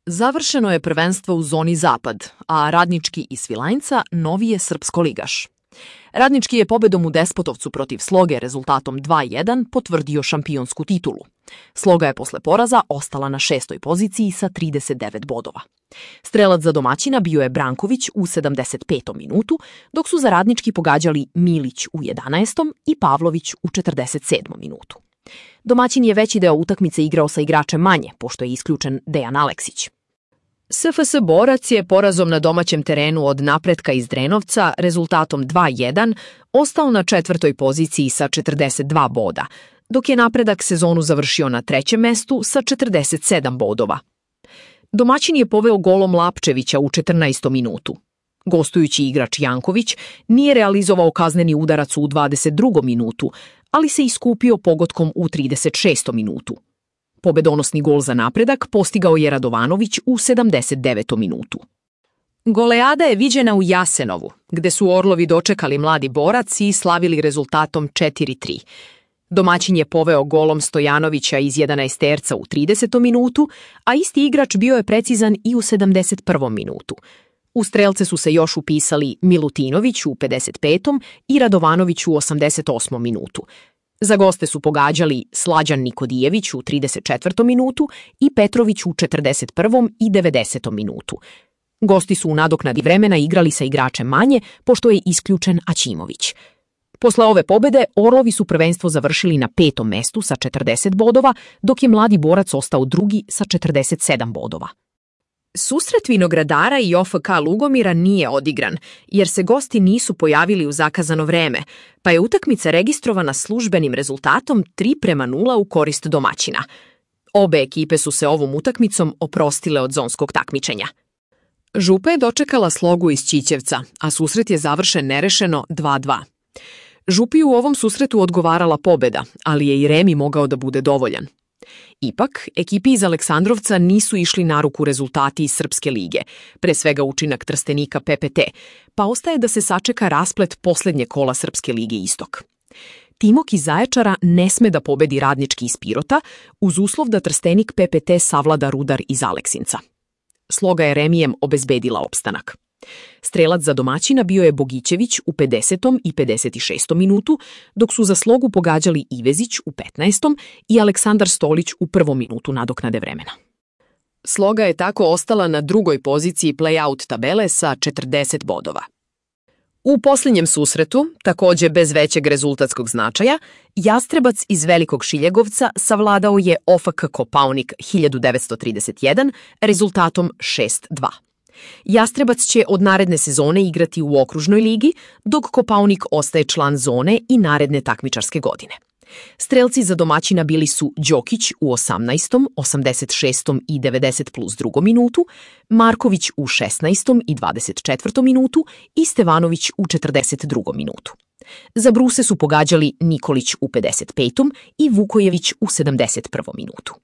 Završeno je prvenstvo u zoni Zapad, a Radnički iz Svilajnca novi je srpsko-ligaš. Radnički je pobedom u Despotovcu protiv Sloge rezultatom 2:1 potvrdio šampionsku titulu. Sloga je posle poraza ostala na 6. poziciji sa 39 bodova. Strelac za domaćina bio je Branković u 75. minutu, dok su za Radnički pogađali Milić u 11. i Pavlović u 47. minutu. Domaćin je veći deo utakmice igrao sa igračem manje, pošto je isključen Dejan Aleksić. SFS Borac je porazom na domaćem terenu od Napretka iz Drenovca rezultatom 2:1 ostao na 4. poziciji sa 42 boda, dok je Napredak sezonu završio na 3. mestu sa 47 bodova. Domaćin je poveo golom Lapčevića u 14. minutu. Gostujući igrač Janković nije realizovao kazneni udarac u 22. minutu, ali se iskupio pogodkom u 36. minutu. Pobedonosni gol za Napredak postigao je Radovanović u 79. minutu. Goleada je viđena u Jasenovu, gde su Orlovi dočekali Mladi Borac i slavili rezultatom 4:3. Domaćin je poveo golom Stojanovića iz 11-terca u 30. minutu, a isti igrač bio je precizan i u 71. minutu. U strelce su se još upisali Milutinović u 55. i Radovanović u 88. minutu. Za goste su pogađali Slađan Nikodijević u 34. minutu i Petrović u 41. i 90. minutu. Gosti su u nadoknadi vremena igrali sa igračem manje, pošto je isključen Aćimović. Posle ove pobede, Orlovi su prvenstvo završili na 5. mestu sa 40 bodova, dok je Mladi Borac ostao drugi sa 47 bodova. Susret Vinogradara i OFK Lugomira nije odigran, jer se gosti nisu pojavili u zakazano vreme, pa je utakmica registrovana službenim rezultatom 3:0 u korist domaćina. Obe ekipe su se ovom utakmicom oprostile od zonskog takmičenja. Župa je dočekala Slogu iz Ćićevca, a susret je završen nerešeno 2:2. Župi u ovom susretu odgovarala pobeda, ali je i remi mogao da bude dovoljan. Ipak, ekipi iz Aleksandrovca nisu išli na ruku rezultati iz Srpske lige, pre svega učinak Trstenika PPT, pa ostaje da se sačeka rasplet poslednje kola Srpske lige Istok. Timok iz Zaječara ne sme da pobedi Radnički iz Pirota, uz uslov da Trstenik PPT savlada Rudar iz Aleksinca. Sloga je remijem obezbedila opstanak. Strelac za domaćina bio je Bogićević u 50. i 56. minutu, dok su za Slogu pogađali Ivezić u 15. i Aleksandar Stolić u 1. minutu nadoknade vremena. Sloga je tako ostala na 2. poziciji play-out tabele sa 40 bodova. U posljednjem susretu, takođe bez većeg rezultatskog značaja, Jastrebac iz Velikog Šiljegovca savladao je OFK Kopaonik 1931 rezultatom 6:2. Jastrebac će od naredne sezone igrati u okružnoj ligi, dok Kopaonik ostaje član zone i naredne takmičarske godine. Strelci za domaćina bili su Đokić u 18., 86. i 90+2. minutu, Marković u 16. i 24. minutu i Stevanović u 42. minutu. Za Bruse su pogađali Nikolić u 55. i Vukojević u 71. minutu.